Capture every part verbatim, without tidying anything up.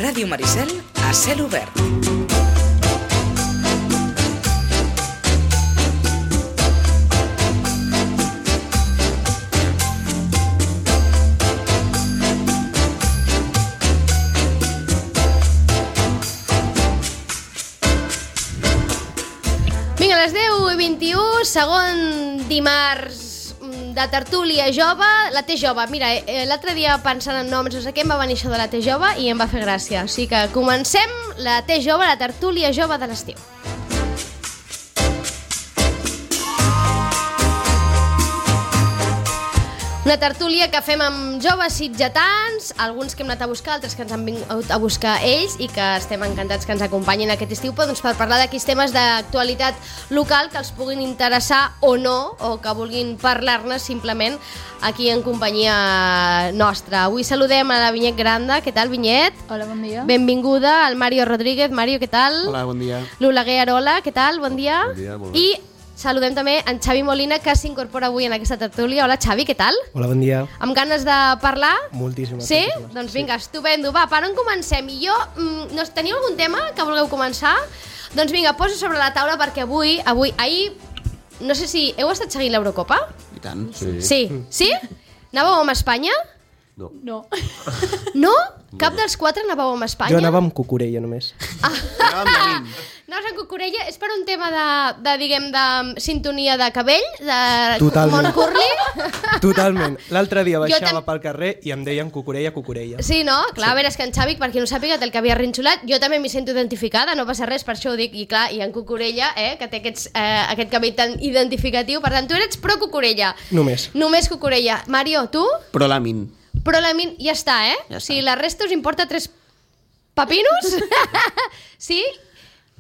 Ràdio Maricel a cel obert. Vinga, a les deu i vint-i-u, segon dimarts de tertúlia jove, la T jove. Mira, eh, l'altre dia pensant en noms, no sé què, em va venir això de la T jove i em va fer gràcia. O sigui que comencem la T jove, la tertúlia jove de l'estiu. Una tertúlia que fem amb joves sitgetans, alguns que hem anat a buscar, altres que ens han vingut a buscar ells i que estem encantats que ens acompanyin aquest estiu doncs, per parlar d'aquells temes d'actualitat local que els puguin interessar o no, o que vulguin parlar-ne simplement aquí en companyia nostra. Avui saludem a la Vinyet Granda. Què tal, Vinyet? Hola, bon dia. Benvinguda al Mario Rodríguez. Mario, què tal? Hola, bon dia. L'Oleguer Arola, què tal? Bon dia. Bon dia, molt bé. I saludem també en Xavi Molina, que s'incorpora avui en aquesta tertúlia. Hola, Xavi, què tal? Hola, bon dia. Amb ganes de parlar? Moltíssimes. Sí? moltíssimes. Doncs vinga, sí. Estupendo. Va, per on comencem? I jo, mm, no, teniu algun tema que vulgueu començar? Doncs vinga, poso sobre la taula perquè avui, avui, ahir, no sé si heu estat seguint l'Eurocopa? I tant. Sí. Sí? Sí? Anàveu amb Espanya? No. No. No? Cap dels quatre anàveu amb Espanya? Jo anava amb Cucurella només. Anàvem llavint. No, en Cucurella és per un tema de, de diguem, de sintonia de cabell, de Totalment. Mont Curly? Totalment. L'altre dia Jo baixava tam- pel carrer i em deien Cucurella, Cucurella. Sí, no? Clar, sí. A veure, és que en Xavi, per qui no sàpiga, té el cabell arrinxolat. Jo també m'hi sento identificada, no passa res, per això ho dic. I clar, i en Cucurella, eh, que té aquests, eh, aquest cabell tan identificatiu. Per tant, tu eres pro Cucurella. Només. Només Cucurella. Mario, tu? Pro lamin. Pro la min... Ja està, eh? Ja o sigui, està. la resta us importa tres papinos? Sí?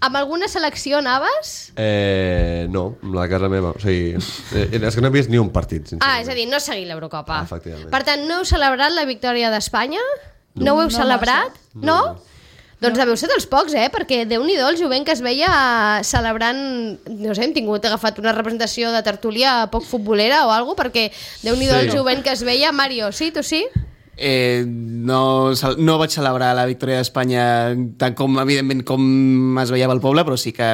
Amb alguna selecció anaves? Eh, no, amb la casa meva. O sigui, eh, és que no he vist ni un partit, sincerament. Ah, és a dir, no seguir l'Eurocopa. Ah, efectivament. Per tant, no heu celebrat la victòria d'Espanya? No, no ho heu No celebrat? massa. No? No. Doncs deveu ser dels pocs, eh? Perquè Déu-n'hi-do el jovent que es veia celebrant... No sé, hem tingut agafat una representació de tertúlia poc futbolera o alguna cosa, perquè Déu-n'hi-do Sí. el jovent que es veia. Mario, sí? Tu sí? Eh, no, cel- no vaig celebrar la victòria d'Espanya tant com, evidentment, com es veia pel poble, però sí que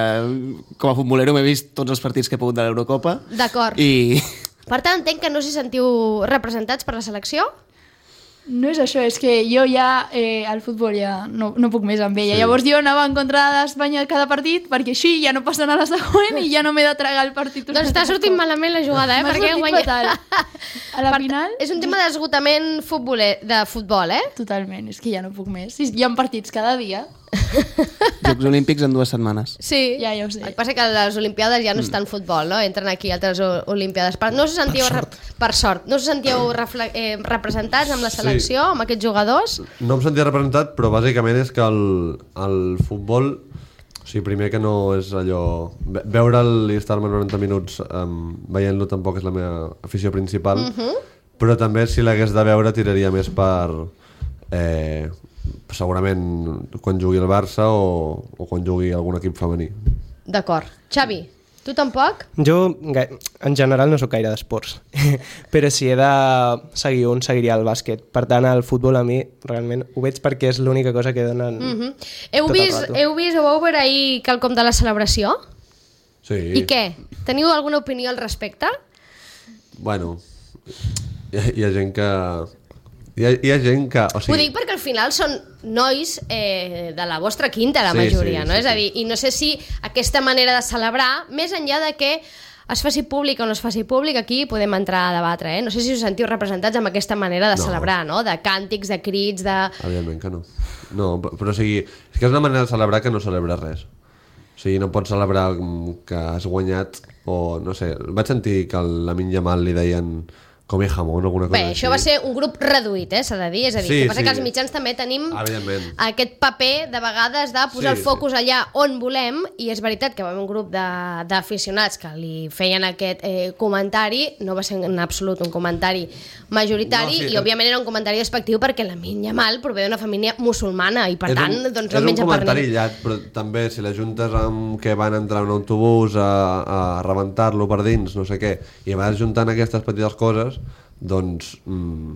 com a futbolero m'he vist tots els partits que he pogut de l'Eurocopa. D'acord. I Per tant, entenc que no us hi sentiu representats per la selecció? No és això, és que jo ja eh, al futbol ja no, no puc més amb ella. Sí. Llavors jo anava en contra d'Espanya cada partit perquè així ja no passen a la següent i ja no m'he de tragar el partit. Doncs està sortint malament la jugada, eh? M'ha Perquè sortit guanya... fatal. A la Per- final... És un tema d'esgotament futboler, de futbol, eh? Totalment, és que ja no puc més. Sí, hi ha partits cada dia. Jocs Olímpics en dues setmanes. Sí. Ja, ja ho sé. El que passa que les Olimpiades ja no estan futbol, no? Entren aquí altres o- Olimpiades. Per, no us sentíeu... Per sort. Per sort. No us sentíeu refle- eh, representats amb la selecció, sí. amb aquests jugadors? No em sentia representat, però bàsicament és que el, el futbol... O sigui, primer que no és allò... ve- Veure'l i estar-me noranta minuts um, veient-lo tampoc és la meva afició principal, Mhm. però també si l'hagués de veure tiraria més per... Eh, segurament quan jugui el Barça o, o quan jugui algun equip femení. D'acord. Xavi, tu tampoc? Jo, ga- en general, no sóc gaire d'esports, però si he de seguir un, seguiria el bàsquet. Per tant, el futbol a mi, realment, ho veig perquè és l'única cosa que donen... Mm -hmm. Heu, Tot el vist, rato. heu vist o vau veure ahir quelcom de la celebració? Sí. I què? Teniu alguna opinió al respecte? Bueno, hi ha, hi ha gent que... Hi ha, hi ha gent que... O Ho sigui, dic perquè al final són nois eh, de la vostra quinta, la Sí, majoria, sí, no? sí, És a sí. dir, i no sé si aquesta manera de celebrar, més enllà de que es faci públic o no es faci públic, aquí podem entrar a debatre, eh? No sé si us sentiu representats amb aquesta manera de No. celebrar, no? De càntics, de crits, de... evidentment que no. No, però, però o sigui, és que és una manera de celebrar que no celebra res. O sigui, no pots celebrar mm, que has guanyat o, no sé, vaig sentir que a la Lamin Yamal li deien come jamón o alguna cosa Bé, això va ser un grup reduït, eh, s'ha de dir. És a dir, Sí, que passa sí. que els mitjans també tenim Evidentment. aquest paper de vegades de posar Sí, el focus allà on volem, i és veritat que va haver un grup de- d'aficionats que li feien aquest eh, comentari, no va ser en absolut un comentari majoritari, No, sí, i òbviament era un comentari despectiu perquè la Lamin Yamal prové d'una família musulmana i per és tant un, doncs, és no un menja per comentari ningú. aïllat, però també si l'ajuntes amb que van entrar en un autobús a, a rebentar-lo per dins, no sé què, i vas juntant aquestes petites coses, doncs mm,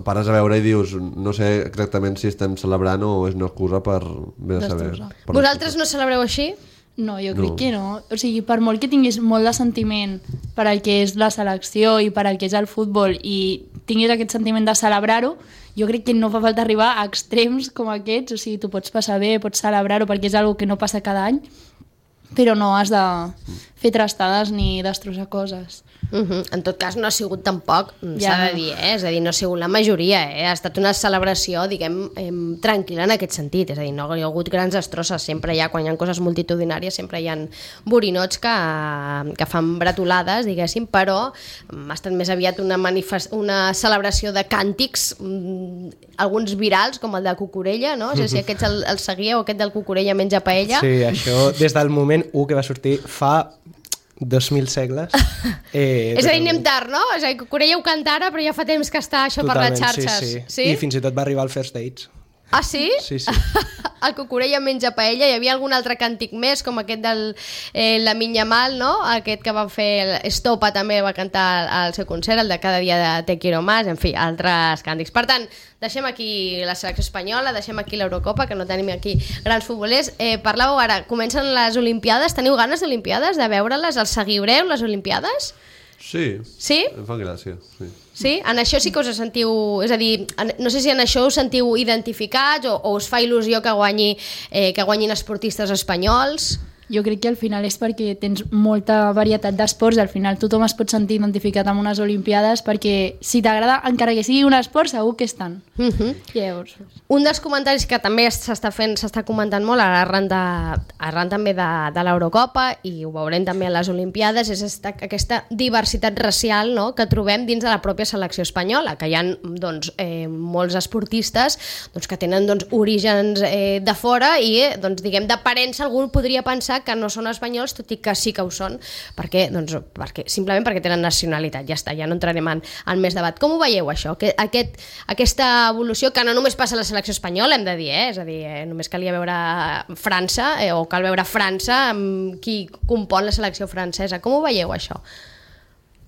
pares a veure i dius, no sé exactament si estem celebrant o és una excusa per bé a saber. Per Vosaltres no celebreu així? No, jo crec No. que no. O sigui, per molt que tinguis molt de sentiment per al que és la selecció i per al que és el futbol i tinguis aquest sentiment de celebrar-ho, jo crec que no fa falta arribar a extrems com aquests. O sigui, tu pots passar bé, pots celebrar-ho perquè és algo que no passa cada any, però no has de fer trastades ni destrossar coses. Uh -huh. En tot cas, no ha sigut tampoc, s'ha Ja. de dir, eh? És a dir, no ha sigut la majoria, eh? Ha estat una celebració, diguem, eh, tranquil·la en aquest sentit, és a dir, no hi ha hagut grans destrosses, sempre hi ha, quan hi ha coses multitudinàries, sempre hi ha borinots que, que fan bretolades, diguéssim, però ha estat més aviat una, manifest... una celebració de càntics, mm, alguns virals, com el de Cucurella, no? No sé si aquests el, el seguíeu, aquest del Cucurella menja paella. Sí, això des del moment u que va sortir fa dos mil segles. Eh, És a dir, anem tard, no? És a dir, Cucurella ho canta ara, però ja fa temps que està això per les xarxes. Sí, sí. Sí? I fins i tot va arribar al First Dates. Ah, sí? Sí, sí. El Cucurella menja paella. Hi havia algun altre càntic més, com aquest del eh, La Minya Mal, no? Aquest que va fer el Estopa, també va cantar al seu concert, el de Cada dia de Te quiero más, en fi, altres càntics. Per tant, deixem aquí la selecció espanyola, deixem aquí l'Eurocopa, que no tenim aquí grans futbolers. Eh, parlàveu ara, comencen les Olimpiades, teniu ganes d'Olimpiades, de veure-les? Els seguireu, les Olimpiades? Sí, Sí? em fa gràcia. Sí. Sí? En això sí que us sentiu... És a dir, en, no sé si en això us sentiu identificats o, o us fa il·lusió que, guanyi, eh, que guanyin esportistes espanyols? Jo crec que al final és perquè tens molta varietat d'esports i al final tothom es pot sentir identificat amb unes Olimpiades perquè si t'agrada, encara que sigui un esport, segur que estan. Uh -huh. Llavors, Un dels comentaris que també s'està fent, s'està comentant molt arran, de, arran també de, de l'Eurocopa i ho veurem també a les Olimpiades, és esta, aquesta diversitat racial, no?, que trobem dins de la pròpia selecció espanyola, que hi ha doncs, eh, molts esportistes doncs, que tenen doncs, orígens eh, de fora i eh, doncs, diguem d'aparença algú podria pensar que no són espanyols, tot i que sí que ho són, perquè, doncs, perquè, simplement perquè tenen nacionalitat, ja està, ja no entrarem en, en més debat. Com ho veieu això? Que, aquest, aquesta evolució que no només passa a la selecció espanyola, hem de dir, eh? És a dir, eh, només calia veure França, eh, o cal veure França amb qui compon la selecció francesa. Com ho veieu això?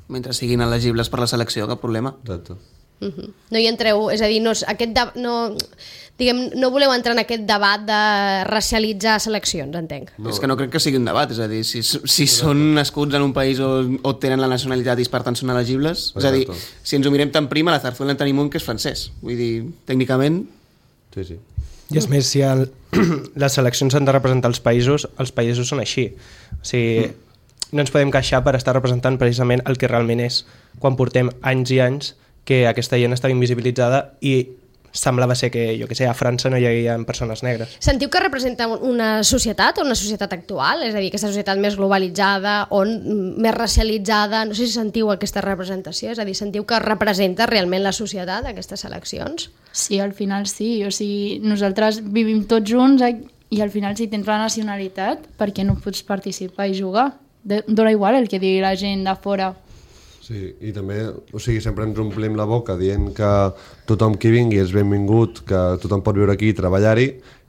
Mentre siguin elegibles per la selecció, cap problema. Exacte. Uh -huh. No hi entreu, és a dir, no, aquest de, no, diguem, no voleu entrar en aquest debat de racialitzar seleccions, entenc. No. És que no crec que sigui un debat, és a dir, si, si són nascuts en un país on, on tenen la nacionalitat i per tant són elegibles, és a dir, Exacte. si ens ho mirem tan prima, la Zarzuela en tenim un que és francès, vull dir, tècnicament... Sí, sí. I és més, si el, les seleccions han de representar els països, els països són així. O sigui, mm. no ens podem queixar per estar representant precisament el que realment és, quan portem anys i anys que aquesta gent estava invisibilitzada i semblava ser que, jo que sé, a França no hi havia persones negres. Sentiu que representa una societat o una societat actual? És a dir, aquesta societat més globalitzada, on, més racialitzada, no sé si sentiu aquesta representació, és a dir, sentiu que representa realment la societat, aquestes seleccions? sí, al final sí. O sigui, nosaltres vivim tots junts eh, i al final si tens la nacionalitat, per què no pots participar i jugar? De, dona igual el que digui la gent de fora. Sí, i també, o sigui, sempre ens omplim la boca dient que tothom qui vingui és benvingut, que tothom pot viure aquí i treballar-hi,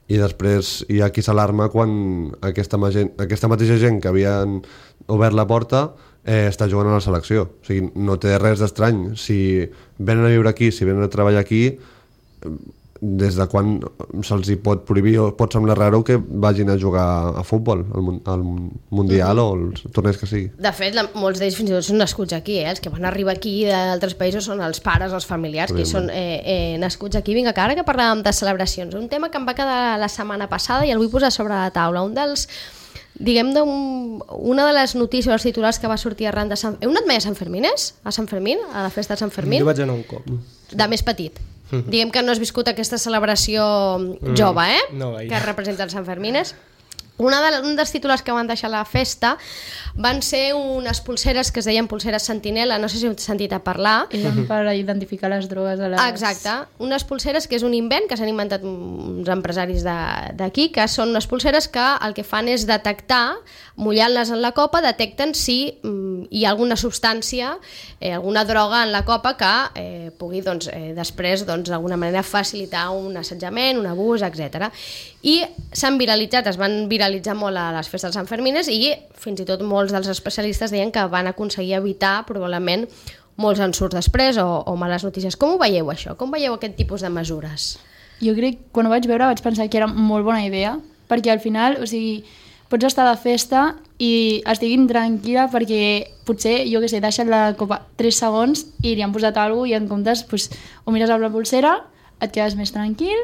i després hi ha qui s'alarma quan aquesta, gent, aquesta mateixa gent que havien obert la porta eh, està jugant a la selecció. O sigui, no té res d'estrany. Si venen a viure aquí, si venen a treballar aquí, des de quan se'ls hi pot prohibir o pot semblar raro que vagin a jugar a futbol, al, al Mundial mm. o els torneigs que sigui. De fet, la, molts d'ells fins i tot són nascuts aquí, eh? Els que van arribar aquí d'altres països són els pares, els familiars, que són eh, eh, nascuts aquí. Vinga, que ara que parlàvem de celebracions, un tema que em va quedar la setmana passada i el vull posar sobre la taula. Un dels, diguem, un, una de les notícies, els titulars que va sortir arran de Sant... Heu anat mai a Sant Fermines? A Sant Fermín? A la festa de Sant Fermín? Jo vaig anar un cop. De més petit. Mm. Diguem que no has viscut aquesta celebració mm. jove, eh? No, gaire. Que representa el Sant Fermines. Una de, un dels titulars que van deixar a la festa van ser unes pulseres que es deien pulseres sentinela, no sé si heu sentit a parlar. Eren per identificar les drogues a les... Exacte, unes pulseres que és un invent que s'han inventat uns empresaris d'aquí, que són unes pulseres que el que fan és detectar, mullant-les en la copa, detecten si mm, hi ha alguna substància, eh, alguna droga en la copa que eh, pugui doncs, eh, després doncs, d'alguna manera facilitar un assetjament, un abús, etcètera. I s'han viralitzat, es van viralitzar molt a les festes de Sant Fermines i fins i tot molts dels especialistes deien que van aconseguir evitar probablement molts ensurts després o, o males notícies. Com ho veieu això? Com veieu aquest tipus de mesures? Jo crec que quan ho vaig veure vaig pensar que era molt bona idea, perquè al final, o sigui, pots estar de festa i estiguin tranquil·la perquè potser, jo què sé, deixen la copa tres segons i li han posat alguna cosa i en comptes pues, ho mires amb la pulsera, et quedes més tranquil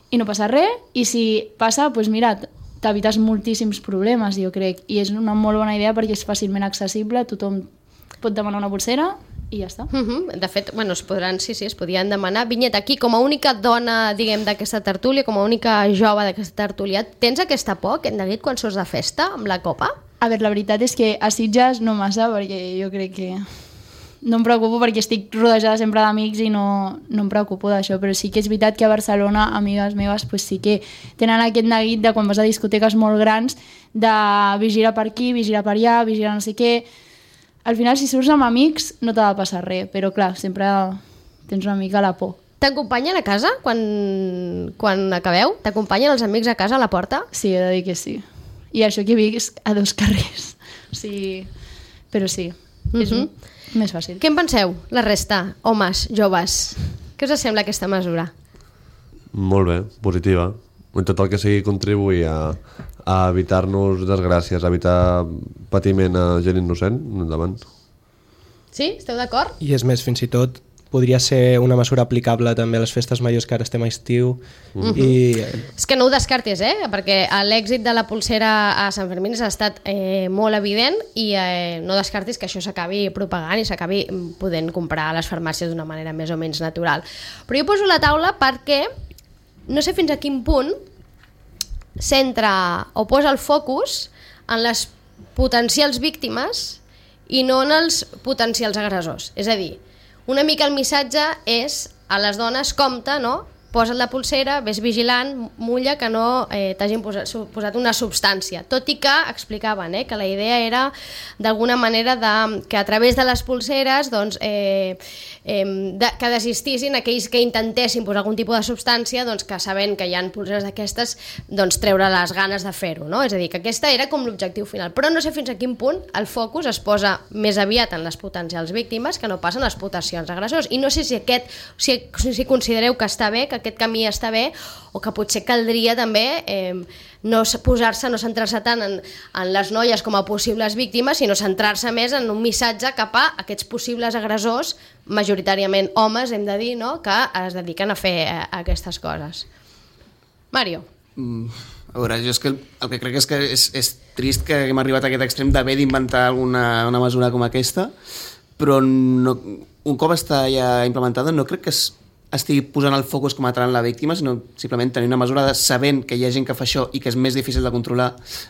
i no passa res, i si passa, doncs mira, t'evites moltíssims problemes, jo crec, i és una molt bona idea perquè és fàcilment accessible, tothom pot demanar una pulsera i ja està. Uh-huh. De fet, bueno, es podran, sí, sí, es podien demanar. Vinyet, aquí, com a única dona, diguem, d'aquesta tertúlia, com a única jove d'aquesta tertúlia, tens aquesta por, que hem de dir, quan surts de festa amb la copa? A veure, la veritat és que a Sitges no massa, perquè jo crec que no em preocupo perquè estic rodejada sempre d'amics i no, no em preocupo d'això, però sí que és veritat que a Barcelona, amigues meves, pues sí que tenen aquest neguit de quan vas a discoteques molt grans de vigilar per aquí, vigilar per allà, vigilar no sé què. Al final, si surts amb amics, no t'ha de passar res, però clar, sempre tens una mica la por. T'acompanyen a casa quan, quan acabeu? T'acompanyen els amics a casa a la porta? Sí, he de dir que sí. I això que visc a dos carrers. O sigui, però sí, uh-huh. És un, més fàcil. Què en penseu, la resta, homes, joves? Què us sembla aquesta mesura? Molt bé, positiva. Tot el que sigui contribuir a, a evitar-nos desgràcies, a evitar patiment a gent innocent, endavant. Sí? Esteu d'acord? I és més, fins i tot podria ser una mesura aplicable també a les festes majors, que ara estem a estiu. Uh-huh. I... És que no ho descartis, eh? Perquè l'èxit de la pulsera a Sant Fermín ha estat eh, molt evident i eh, no descartis que això s'acabi propagant i s'acabi podent comprar a les farmàcies d'una manera més o menys natural. Però jo poso la taula perquè no sé fins a quin punt centra o posa el focus en les potencials víctimes i no en els potencials agressors. És a dir, una mica el missatge és a les dones, compte, no? Posa't la pulsera, ves vigilant, mulla que no eh, t'hagin posat, posat una substància. Tot i que explicaven eh, que la idea era d'alguna manera de, que a través de les pulseres doncs, eh, eh, de, que desistissin aquells que intentessin posar algun tipus de substància, doncs, que sabent que hi ha pulseres d'aquestes, doncs, treure les ganes de fer-ho. No? És a dir, que aquesta era com l'objectiu final. Però no sé fins a quin punt el focus es posa més aviat en les potencials víctimes que no pas en les potencials agressors. I no sé si, aquest, si, si considereu que està bé, que aquest camí està bé, o que potser caldria també eh, no posar-se, no centrar-se tant en, en les noies com a possibles víctimes, sinó centrar-se més en un missatge cap a aquests possibles agressors, majoritàriament homes, hem de dir, no?, que es dediquen a fer eh, aquestes coses. Mario. Mm, a veure, jo és que el, el que crec és que és, és trist que hem arribat a aquest extrem d'haver d'inventar alguna una mesura com aquesta, però no, un cop està ja implementada no crec que es estigui posant el focus com a tal en la víctima, sinó simplement tenir una mesura de sabent que hi ha gent que fa això i que és més difícil de controlar,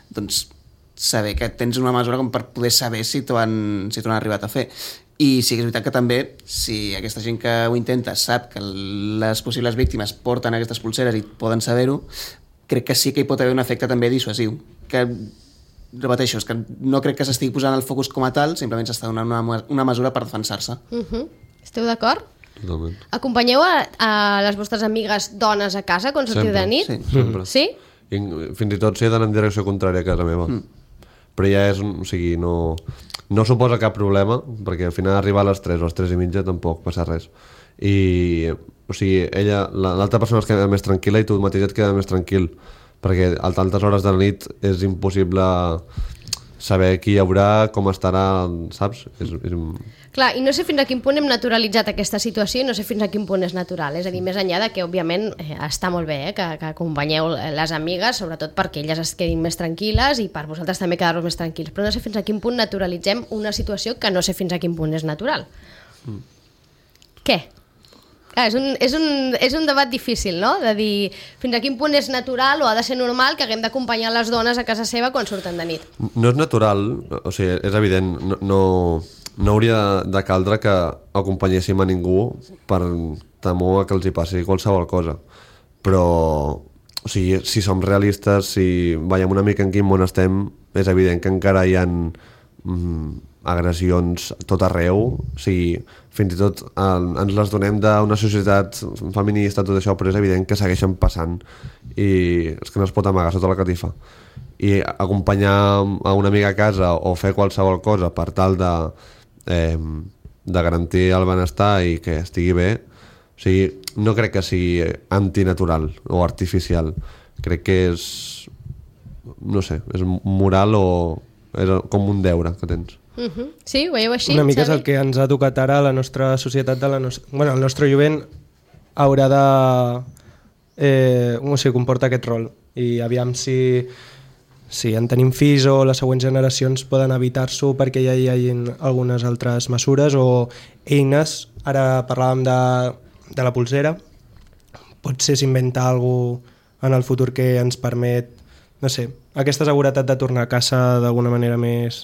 doncs saber que tens una mesura com per poder saber si t'ho han, si t'ho han arribat a fer. I sí que és veritat que també, si aquesta gent que ho intenta sap que les possibles víctimes porten aquestes pulseres i poden saber-ho, crec que sí que hi pot haver un efecte també dissuasiu. Que, repeteixo, és que no crec que s'estigui posant el focus com a tal, simplement s'està donant una, una mesura per defensar-se. Uh-huh. Esteu d'acord? Totalment. Acompanyeu a, a les vostres amigues dones a casa quan sortiu de nit? Sí, sempre. Sí? I, fins i tot si he d'anar en direcció contrària a casa meva. Mm. Però ja és, o sigui, no, no suposa cap problema, perquè al final arribar a les tres o a les tres i mitja tampoc passa res. I, o sigui, ella, l'altra persona es queda més tranquil·la i tu mateix et queda més tranquil, perquè a altes hores de la nit és impossible saber qui hi haurà, com estarà, saps? És, és... Clar, i no sé fins a quin punt hem naturalitzat aquesta situació i no sé fins a quin punt és natural. És a dir, més enllà de que, òbviament, eh, està molt bé eh, que, que acompanyeu les amigues, sobretot perquè elles es quedin més tranquil·les i per vosaltres també quedar-vos més tranquils. Però no sé fins a quin punt naturalitzem una situació que no sé fins a quin punt és natural. Mm. Què? Ah, és, un, és, un, és un debat difícil, no? De dir fins a quin punt és natural o ha de ser normal que haguem d'acompanyar les dones a casa seva quan surten de nit. No és natural, o sigui, és evident, no, no, no hauria de caldre que acompanyéssim a ningú per temor que els hi passi qualsevol cosa. Però, o sigui, si som realistes, si veiem una mica en quin món estem, és evident que encara hi ha mm, agressions tot arreu, o sigui, fins i tot eh, ens les donem d'una societat feminista, tot això, però és evident que segueixen passant i és que no es pot amagar sota la catifa. I acompanyar a una amiga a casa o fer qualsevol cosa per tal de eh, de garantir el benestar i que estigui bé, o sigui, no crec que sigui antinatural o artificial. Crec que és, no sé, és moral o és com un deure que tens. Uh-huh. Sí, ho veieu així? Una mica és Xavi? el que ens ha tocat ara a la nostra societat, de la nos... bueno, el nostre jovent haurà de eh, o sigui, comporta aquest rol i aviam si, si en tenim fills o les següents generacions poden evitar-s'ho perquè ja hi hagi algunes altres mesures o eines. Ara parlàvem de, de la polsera, potser s'inventa alguna cosa en el futur que ens permet, no sé, aquesta seguretat de tornar a casa d'alguna manera més...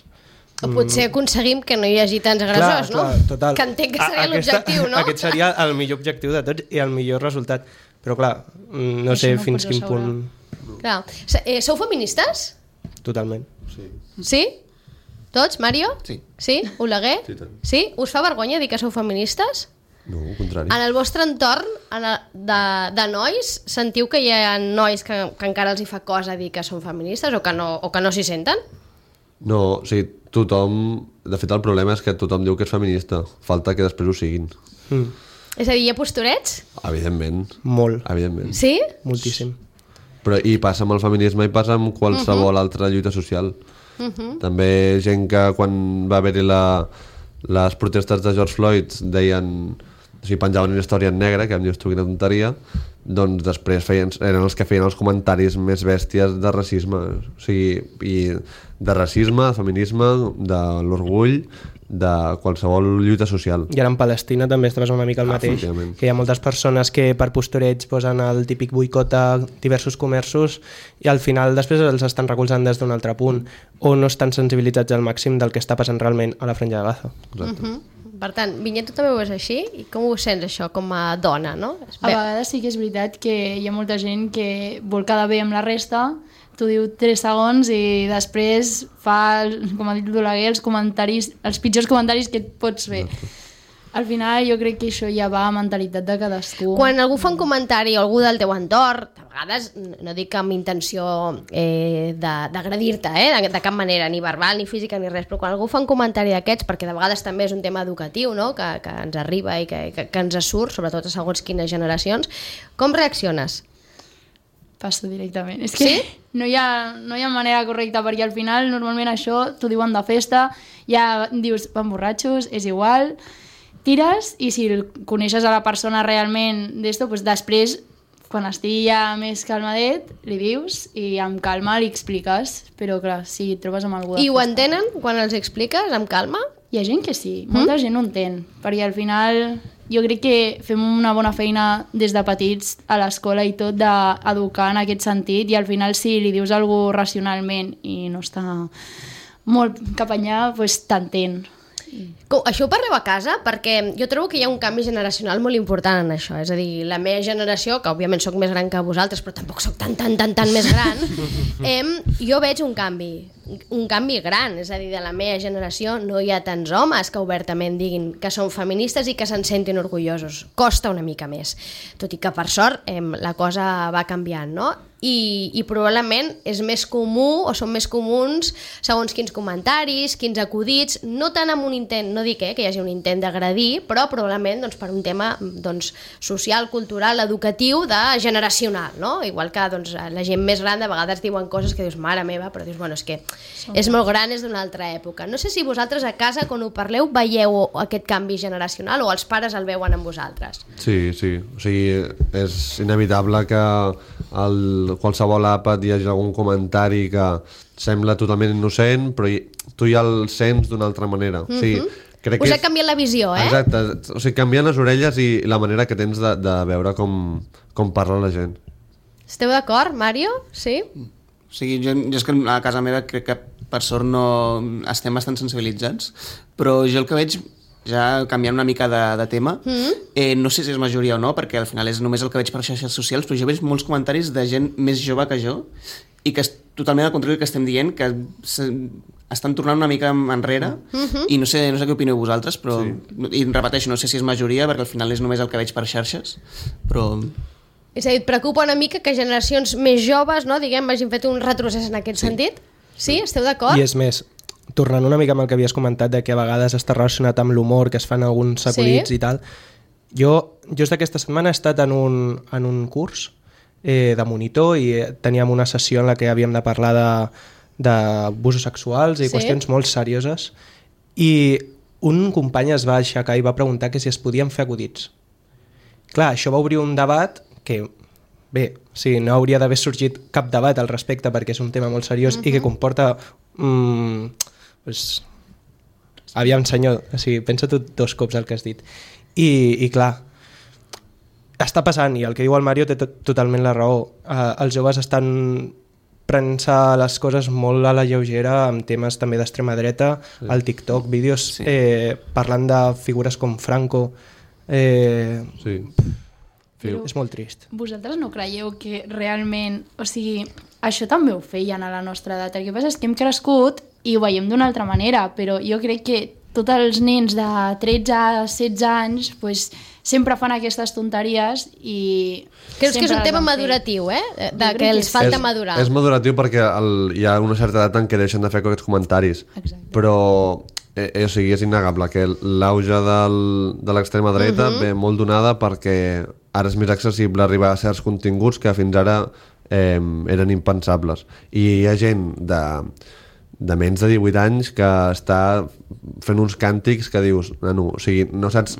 O potser aconseguim que no hi hagi tants agressors, clar, no? clar, total. Que entenc que seria A- aquesta- l'objectiu, no? Aquest seria el millor objectiu de tots i el millor resultat. Però clar, mm, no Això sé no fins pots quin assegurar. punt... Clar. Se- Eh, sou feministes? Totalment. Sí? Tots, Mario? Sí. Sí? Oleguer? Sí, tant. Sí? Us fa vergonya dir que sou feministes? No, al contrari. En el vostre entorn en el, de, de nois, sentiu que hi ha nois que, que encara els hi fa cosa dir que són feministes o que no, o que no s'hi senten? No, o sigui, tothom... De fet, el problema és que tothom diu que és feminista. Falta que després ho siguin. Mm, És a dir, hi ha posturets? Evidentment. molt, Evidentment. Sí? moltíssim. Però i passa amb el feminisme i passa amb qualsevol uh -huh. altra lluita social. Uh -huh. També gent que quan va haver-hi la, les protestes de George Floyd deien... O sigui, penjaven una història en negre, que em dius tu quina tonteria, doncs després feien, eren els que feien els comentaris més bèsties de racisme. O sigui, i de racisme, de feminisme, de l'orgull, de qualsevol lluita social. I ara en Palestina també es passa una mica el Ah, mateix, efectivament. que hi ha moltes persones que per postureig posen el típic boicot a diversos comerços i al final després els estan recolzant des d'un altre punt o no estan sensibilitzats al màxim del que està passant realment a la franja de Gaza. Exacte. Uh -huh. Per tant, Vinyet, tu també ho veus així? I com ho sents, això, com a dona, no? A vegades sí que és veritat que hi ha molta gent que vol quedar bé amb la resta, t'ho diu tres segons i després fa, com ha dit l'Oleguer, els comentaris, els pitjors comentaris que et pots fer. Al final jo crec que això ja va a mentalitat de cadascú. Quan algú fa un comentari o algú del teu entorn, de vegades, no dic amb intenció eh, de- d'agredir-te, eh, de, de cap manera, ni verbal, ni física, ni res, però quan algú fa un comentari d'aquests, perquè de vegades també és un tema educatiu, no?, que, que ens arriba i que, que, que ens surt, sobretot a segons quines generacions, com reacciones? Passo directament. És que Sí? no, hi ha, no hi ha manera correcta, perquè al final normalment això t'ho diuen de festa, ja dius van borratxos, és igual, tires i si el coneixes a la persona realment d'esto, doncs després, quan estigui ja més calmadet, li dius i amb calma li expliques, però clar, si et trobes amb algú de I ho festa... entenen quan els expliques, amb calma? Hi ha gent que sí, molta gent ho entén, perquè al final jo crec que fem una bona feina des de petits a l'escola i tot d'educar en aquest sentit i al final si li dius alguna racionalment i no està molt cap allà, doncs t'entén. Com, això ho parleu a casa? Perquè jo trobo que hi ha un canvi generacional molt important en això. És a dir, la meva generació, que òbviament sóc més gran que vosaltres, però tampoc sóc tan, tan, tan, tan més gran, em, jo veig un canvi, un canvi gran. És a dir, de la meva generació no hi ha tants homes que obertament diguin que són feministes i que se'n sentin orgullosos. Costa una mica més. Tot i que, per sort, em, la cosa va canviant, no? I, i probablement és més comú o són més comuns segons quins comentaris, quins acudits, no tant amb un intent, no dic eh, que hi hagi un intent d'agredir, però probablement doncs, per un tema doncs, social, cultural, educatiu, de generacional, no? Igual que doncs, la gent més gran de vegades diuen coses que dius, mare meva, però dius, bueno, és que és molt gran, és d'una altra època. No sé si vosaltres a casa, quan ho parleu, veieu aquest canvi generacional o els pares el veuen amb vosaltres? Sí, sí. O sigui, és inevitable que el, qualsevol àpat hi hagi algun comentari que sembla totalment innocent, però hi, tu ja el sents d'una altra manera. Mm-hmm. O sigui, crec Us que ha canviat la visió, eh? Exacte. O sigui, canvien les orelles i la manera que tens de, de veure com, com parla la gent. Esteu d'acord, Mario? Sí? O sigui, jo, jo és que a casa meva crec que per sort no estem bastant sensibilitzats, però jo el que veig, ja canviant una mica de, de tema, mm-hmm. eh, no sé si és majoria o no, perquè al final és només el que veig per xarxes socials, però jo veig molts comentaris de gent més jove que jo i que és totalment al contrari que estem dient, que se, estan tornant una mica enrere mm-hmm. i no sé, no sé què opineu vosaltres, però sí. I repeteixo, no sé si és majoria perquè al final és només el que veig per xarxes, però... És a dir, et preocupa una mica que generacions més joves, no, diguem, hagin fet un retrocés en aquest sí. sentit? Sí? Esteu d'acord? I és més, tornant una mica amb el que havies comentat de que a vegades està relacionat amb l'humor, que es fan alguns acudits Sí. i tal, jo just aquesta setmana he estat en un, en un curs eh, de monitor i eh, teníem una sessió en la que havíem de parlar de, d'abusos sexuals i Sí. qüestions molt serioses, i un company es va aixecar i va preguntar que si es podien fer acudits. Clar, això va obrir un debat que, bé, sí, no hauria d'haver sorgit cap debat al respecte perquè és un tema molt seriós uh-huh. i que comporta... Mm, pues, aviam, senyor, o sigui, pensa tu dos cops el que has dit. I, i clar, està passant, i el que diu el Mario té tot, totalment la raó. Uh, els joves estan prenent-se les coses molt a la lleugera amb temes també d'extrema dreta, sí. al TikTok, vídeos sí. eh, parlant de figures com Franco. Eh, Sí. Però és molt trist. vosaltres no creieu que realment, o sigui, això també ho feien a la nostra edat. El que passa és que hem crescut i ho veiem d'una altra manera, però jo crec que tots els nens de tretze a setze anys pues, sempre fan aquestes tonteries i... Creus que és un sempre les tema van fer. maduratiu, eh? De Jo crec que que els sí. falta és, madurar. És maduratiu perquè el, hi ha una certa edat en què deixen de fer aquests comentaris. Exacte. Però eh, eh, o sigui, és innegable que l'auge del, de l'extrema dreta uh-huh. ve molt donada perquè ara és més accessible arribar a certs continguts que fins ara eh, eren impensables. I hi ha gent de, de menys de divuit anys que està fent uns càntics que dius, nano, o sigui, no saps...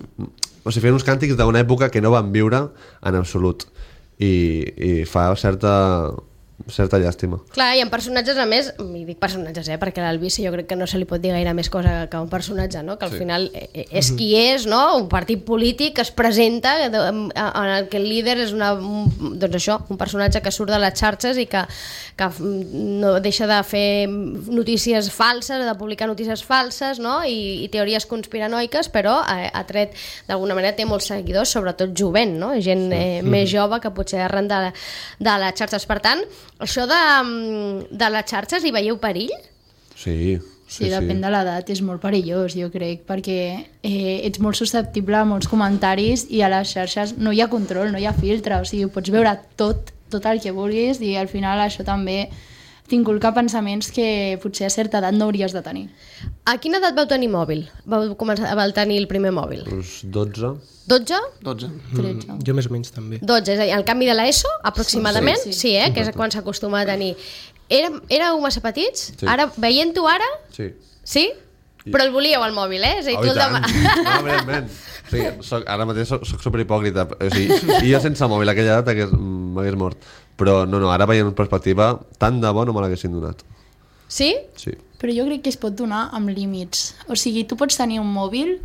O sigui, fent uns càntics d'una època que no van viure en absolut. I, i fa certa, certa llàstima. Clar, hi ha personatges, a més, i dic personatges, eh, perquè l'Albici jo crec que no se li pot dir gaire més cosa que un personatge, no? Que al Sí. final eh, és qui és, no? Un partit polític que es presenta de- en el que el líder és una, un- doncs això, un personatge que surt de les xarxes i que, que no deixa de fer notícies falses, de publicar notícies falses, no? I, i teories conspiranoiques, però ha, ha tret, d'alguna manera té molts seguidors, sobretot jovent, no? Gent eh, més jove que potser arran de, de les xarxes. Per tant, això de, de les xarxes, hi veieu perill? Sí, Sí, sí, depèn de l'edat, és molt perillós, jo crec, perquè eh, ets molt susceptible a molts comentaris i a les xarxes no hi ha control, no hi ha filtre, o sigui, pots veure tot, tot el que vulguis i al final això també t'inculca pensaments que potser a certa edat no hauries de tenir. A quina edat vau tenir mòbil? Vau començar vau tenir el primer mòbil? Uns dotze. dotze? dotze. tretze. Jo més o menys també. dotze, és a dir, el canvi de l'ESO, aproximadament? Sí, Sí, sí. sí eh? Que és quan s'acostuma a tenir. Éreu, éreu massa petits? Sí. Ara, veient-ho ara, Sí. sí? Però el volíeu, el mòbil, eh? És a dir, Oh, tu i el tant. demà... No, evidentment. Sí, soc, ara mateix soc, soc superhipòcrita. O sigui, i jo sense mòbil a aquella edat hagués- m'hagués mort. Però no, no, ara veient en perspectiva, tant de bo no me l'haguessin donat. Sí? Sí. Però jo crec que es pot donar amb límits. O sigui, tu pots tenir un mòbil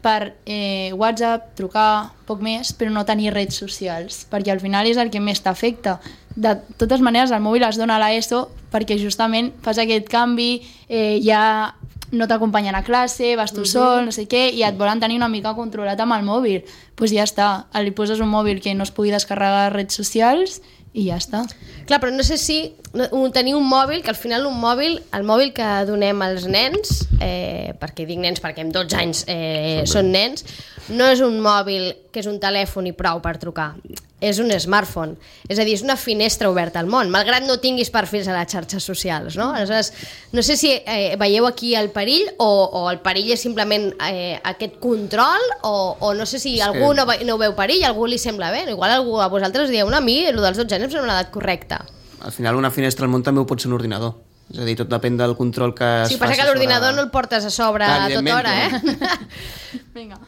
per eh, WhatsApp, trucar, poc més, però no tenir redes socials, perquè al final és el que més t'afecta. De totes maneres, el mòbil es dona a l'ESO perquè justament fas aquest canvi, eh, ja no t'acompanyen a classe, vas tu sol, no sé què, i et volen tenir una mica controlat amb el mòbil. Doncs pues ja està, li poses un mòbil que no es pugui descarregar redes socials i ja està. Clar, però no sé si no- un- tenir un mòbil, que al final un mòbil, el mòbil que donem als nens, eh, perquè dic nens perquè amb dotze anys eh, són nens, no és un mòbil que és un telèfon i prou per trucar, és un smartphone, és a dir, és una finestra oberta al món, malgrat no tinguis perfils a les xarxes socials, no? Aleshores, no sé si eh, veieu aquí el perill o, o el perill és simplement eh, aquest control o, o no sé si És algú que- no, ve- no ho veu perill, algú li sembla bé, igual algú a vosaltres dieu, no, a mi, el dels dotze anys em sembla una edat correcta. Al final una finestra al món també ho pot ser un ordinador. És a dir, tot depèn del control que es Sí, passa faci que l'ordinador sobre... no el portes a sobre Clar, a tota evidentment, hora, eh? Vinga.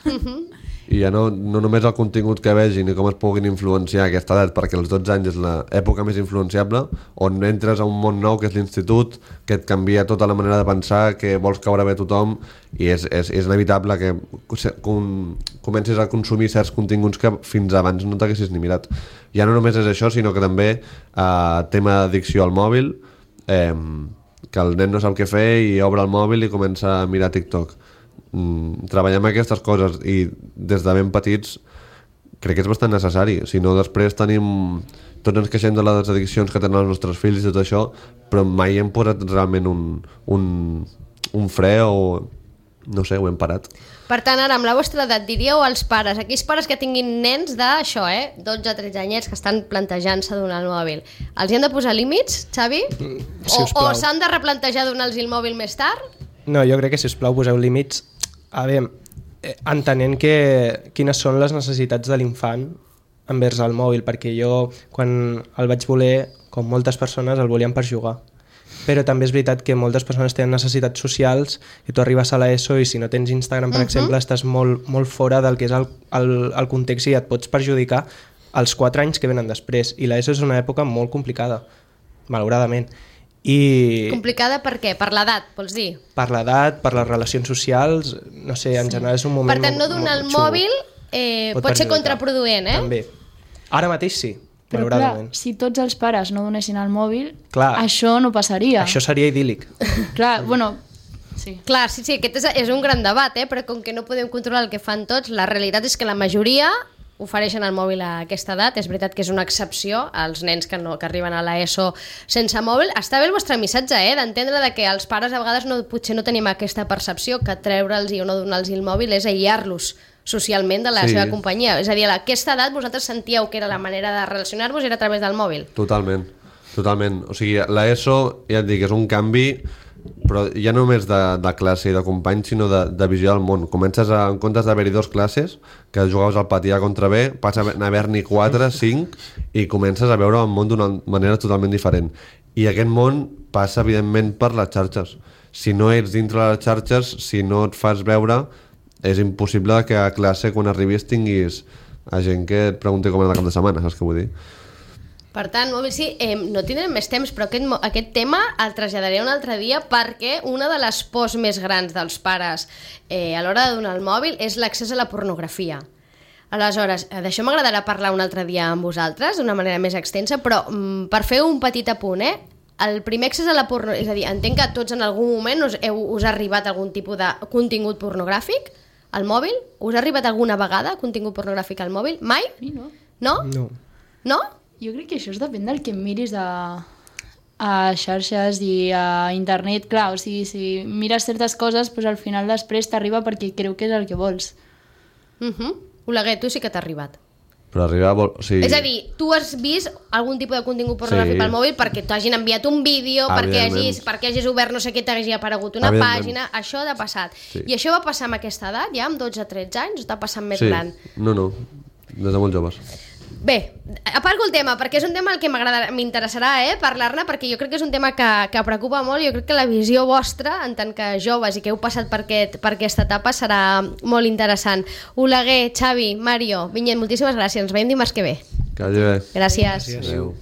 I ja no, no només el contingut que vegin i com es puguin influenciar a aquesta edat, perquè els dotze anys és l'època més influenciable, on entres a un món nou que és l'institut, que et canvia tota la manera de pensar, que vols caure bé a tothom, i és, és, és inevitable que com, comencis a consumir certs continguts que fins abans no t'haguessis ni mirat. Ja no només és això, sinó que també eh, tema d'addicció al mòbil, eh, que el nen no sap què fer i obre el mòbil i comença a mirar TikTok. Mm, treballem aquestes coses i des de ben petits crec que és bastant necessari, si no després tenim, tots ens queixem de les addiccions que tenen els nostres fills i tot això, però mai hem posat realment un, un, un fre o no sé, ho hem parat. Per tant, ara, amb la vostra edat, diríeu als pares, aquells pares que tinguin nens d'això, eh? dotze tretze anyets que estan plantejant-se donar el mòbil, els hi han de posar límits, Xavi? si O, us o plau. s'han de replantejar donar-los el mòbil més tard? No, jo crec que, sisplau, poseu límits. A veure, eh, entenent que quines són les necessitats de l'infant envers el mòbil, perquè jo, quan el vaig voler, com moltes persones, el volien per jugar. Però també és veritat que moltes persones tenen necessitats socials i tu arribes a l'ESO i si no tens Instagram, per uh-huh. exemple, estàs molt, molt fora del que és el, el, el context i et pots perjudicar els quatre anys que venen després. I l'ESO és una època molt complicada, malauradament. I complicada per què? Per l'edat, vols dir? Per l'edat, per les relacions socials, no sé, en sí. general és un moment... Per tant, no donar el mòbil eh, pot, pot ser contraproduent, eh? També. Ara mateix sí, però clar, si tots els pares no donessin el mòbil, clar, això no passaria. Això seria idíl·lic. Clar, bueno... Sí. Clar, sí, sí, aquest és, és un gran debat, eh? Però com que no podem controlar el que fan tots, la realitat és que la majoria ofereixen el mòbil a aquesta edat. És veritat que és una excepció als nens que, no, que arriben a l'ESO sense mòbil. Està bé el vostre missatge, eh? D'entendre de que els pares a vegades no, potser no tenim aquesta percepció que treure'ls o no donar-los el mòbil és aïllar-los socialment de la sí. seva companyia. És a dir, a aquesta edat vosaltres sentíeu que era la manera de relacionar-vos era a través del mòbil. Totalment, totalment. O sigui, l'ESO, ja et dic, és un canvi, però ja no només de, de classe i de companys, sinó de, de visió del món. Comences a, en comptes d'haver-hi dos classes, que jugaves al pati A contra B, passa a haver-n'hi quatre, cinc, i comences a veure el món d'una manera totalment diferent. I aquest món passa, evidentment, per les xarxes. Si no ets dintre de les xarxes, si no et fas veure, és impossible que a classe, quan arribis, tinguis a gent que et pregunti com era el cap de setmana, saps què vull dir? Per tant, mòbil sí, eh, no tindrem més temps, però aquest, aquest tema el traslladaré un altre dia perquè una de les pors més grans dels pares eh, a l'hora de donar el mòbil és l'accés a la pornografia. Aleshores, d'això m'agradarà parlar un altre dia amb vosaltres, d'una manera més extensa, però mm, per fer un petit apunt, eh? El primer accés a la pornografia, és a dir, entenc que tots en algun moment us, heu, us ha arribat algun tipus de contingut pornogràfic al mòbil? Us ha arribat alguna vegada contingut pornogràfic al mòbil? Mai? Sí, no. No? No. No? Jo crec que això es depèn del que miris a, a xarxes i a internet. Clar, o sigui, si mires certes coses, doncs al final després t'arriba perquè creu que és el que vols. Uh-huh. Oleguer, tu sí que t'ha arribat. Però arribar... Vol... O sigui... És a dir, tu has vist algun tipus de contingut pornogràfic sí. pel mòbil perquè t'hagin enviat un vídeo, perquè hagis, perquè hagis obert no sé què, t'hagi aparegut una pàgina, això ha passat. Sí. I això va passar amb aquesta edat, ja, amb dotze tretze anys, o està passant més sí. gran? No, no, des de molt joves. Bé, aparco el tema, perquè és un tema al que m'interessarà eh, parlar-ne, perquè jo crec que és un tema que, que preocupa molt. Jo crec que la visió vostra, en tant que joves i que heu passat per, aquest, per aquesta etapa, serà molt interessant. Oleguer, Xavi, Mario, Vinyet, moltíssimes gràcies. Ens veiem dimarts que ve. Que vagi bé. Gràcies. Gràcies. Adéu.